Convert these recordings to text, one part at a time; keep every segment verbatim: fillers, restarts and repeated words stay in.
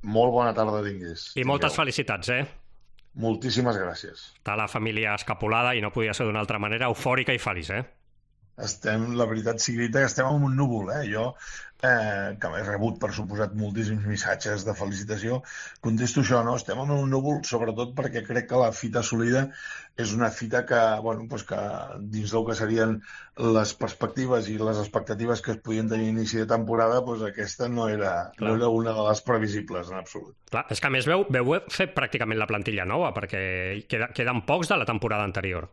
Molt bona tarda tinguis. I moltes felicitats, eh? Moltíssimes gràcies. Està la família escapolada i no podia ser d'una altra manera, eufòrica i feliç, eh? Estem, la veritat sigui dita, que estem en un núvol, eh? Jo, eh, que he rebut, per suposat, moltíssims missatges de felicitació, contesto això, no? Estem en un núvol, sobretot perquè crec que la fita assolida és una fita que, bueno, doncs que dins del que serien les perspectives i les expectatives que es podien tenir a inici de temporada, doncs aquesta no era, no era una de les previsibles, en absolut. Clar, és que a més veu, veu fer pràcticament la plantilla nova, perquè queda, queden pocs de la temporada anterior.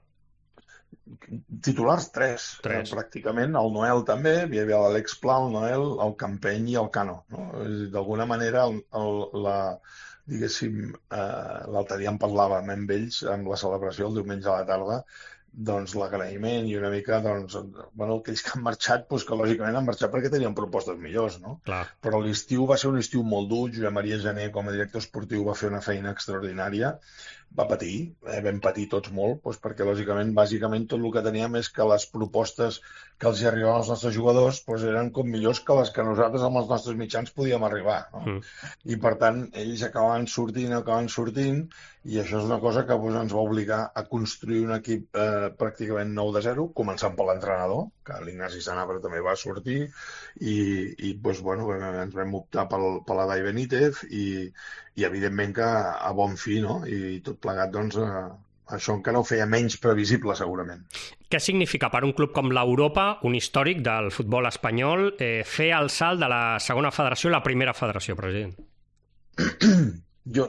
Titulars, tres, tres. Eh, pràcticament. El Noel també, hi havia l'Àlex Pla, el Noel, el Campeny i el Cano. No? D'alguna manera, el, el, la, diguéssim, eh, l'altre dia en parlàvem amb ells, amb la celebració el diumenge a la tarda, doncs l'agraïment i una mica, doncs, bueno, aquells que han marxat, doncs que lògicament han marxat perquè tenien propostes millors, no? Clar. Però l'estiu va ser un estiu molt dur, Josep Maria Jané com a director esportiu va fer una feina extraordinària, va patir, eh, vam patir tots molt, doncs perquè lògicament, bàsicament, tot el que teníem és que les propostes que els hi arribaven als nostres jugadors doncs eren com millors que les que nosaltres amb els nostres mitjans podíem arribar, no? Mm. I per tant, ells acabaven sortint, acabaven sortint, i això és una cosa que doncs, ens va obligar a construir un equip eh, pràcticament nou de zero, començant per l'entrenador, que l'Ignasi Sanabra també va sortir, i, i doncs, bueno, ens vam optar pel, per la Dai Benítez, i, i evidentment que a bon fi, no? I tot plegat, doncs, eh, això encara ho feia menys previsible, segurament. Què significa per un club com l'Europa, un històric del futbol espanyol, eh, fer el salt de la segona federació a la primera federació, president? jo,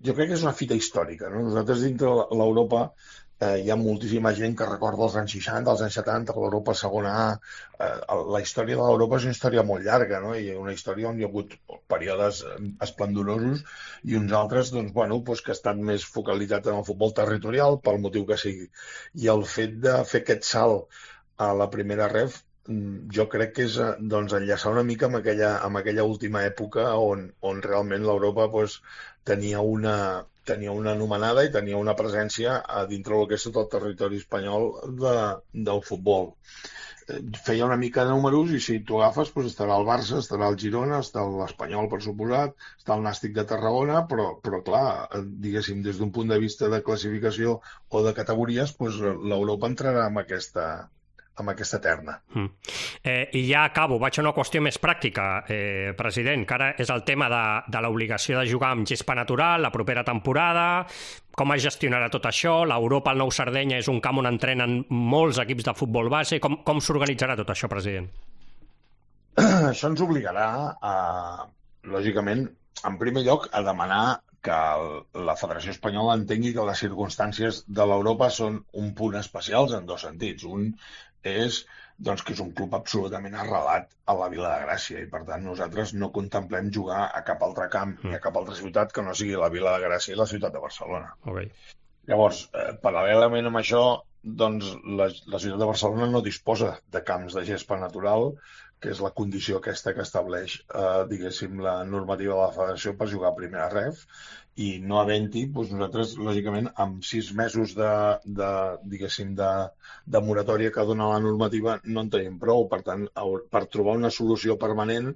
jo crec que és una fita històrica, no? Nosaltres dintre l'Europa eh, hi ha moltíssima gent que recorda els anys seixanta, els anys setanta, l'Europa segona A. Eh, la història de l'Europa és una història molt llarga, no? I una història on hi ha hagut períodes esplendorosos i uns altres, doncs, bueno, doncs que estan més focalitzats en el futbol territorial, pel motiu que sigui. I el fet de fer aquest salt a la primera ref, jo crec que és doncs, enllaçar una mica amb aquella, amb aquella última època on, on realment l'Europa doncs, tenia una tenia una anomenada i tenia una presència a dintre del que és tot el territori espanyol de, del futbol. Feia una mica de números i si tu agafes doncs estarà el Barça, estarà el Girona, està l'Espanyol, per suposat, està el Nàstic de Tarragona, però, però clar, diguéssim, des d'un punt de vista de classificació o de categories, doncs l'Europa entrarà en aquesta amb aquesta terna. Mm. Eh, I ja acabo, vaig a una qüestió més pràctica, eh, president, que ara és el tema de, de l'obligació de jugar amb gespa natural la propera temporada, com es gestionarà tot això, l'Europa al Nou Sardenya és un camp on entrenen molts equips de futbol base, com, com s'organitzarà tot això, president? Això ens obligarà a, lògicament, en primer lloc, a demanar que la Federació Espanyola entengui que les circumstàncies de l'Europa són un punt especials en dos sentits. Un és doncs, que és un club absolutament arrelat a la Vila de Gràcia i per tant nosaltres no contemplem jugar a cap altre camp ni a cap altra ciutat que no sigui la Vila de Gràcia i la ciutat de Barcelona. Okay. Llavors, eh, paral·lelament amb això, doncs la, la ciutat de Barcelona no disposa de camps de gespa natural, que és la condició aquesta que estableix, eh, diguéssim, la normativa de la Federació per jugar a primera ref, i no havent-hi, doncs nosaltres, lògicament, amb sis mesos de, de diguéssim, de, de moratòria que dona la normativa, no en tenim prou. Per tant, per trobar una solució permanent,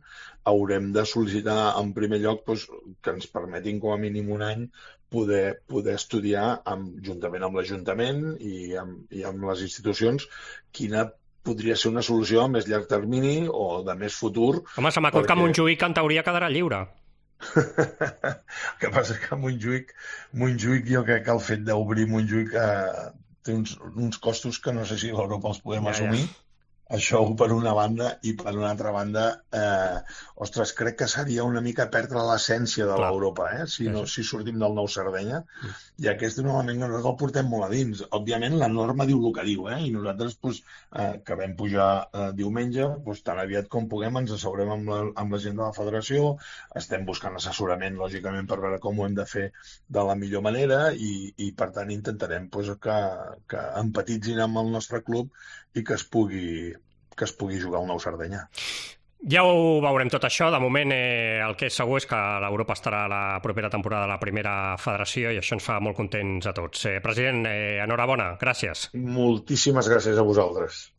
haurem de sol·licitar, en primer lloc, doncs, que ens permetin, com a mínim un any, poder, poder estudiar, amb, juntament amb l'Ajuntament i amb, i amb les institucions, quina podria ser una solució a més llarg termini o de més futur. Home, se m'acut perquè... que Montjuïc en teoria quedarà lliure. El que passa que Montjuïc, Montjuïc jo crec que el fet d'obrir Montjuïc eh, té uns, uns costos que no sé si l'Europa els podem ja, assumir. Ja. Això per una banda, i per una altra banda, eh, ostres, crec que seria una mica perdre l'essència de l'Europa, eh? si, no, si sortim del Nou Sardenya, mm. i aquest és un element que nosaltres el portem molt a dins. Òbviament la norma diu el que diu, eh? I nosaltres pues, eh, que vam pujar eh, diumenge, pues, tan aviat com puguem ens asseurem amb la, amb la gent de la federació, estem buscant assessorament, lògicament, per veure com ho hem de fer de la millor manera i, i per tant intentarem pues, que, que empatitzin amb el nostre club i que es pugui que es pugui jugar al Nou Sardenya. Ja ho veurem tot això. De moment eh, el que és segur és que l'Europa estarà a la propera temporada a la primera federació i això ens fa molt contents a tots. Eh, president, eh, enhorabona, gràcies. Moltíssimes gràcies a vosaltres.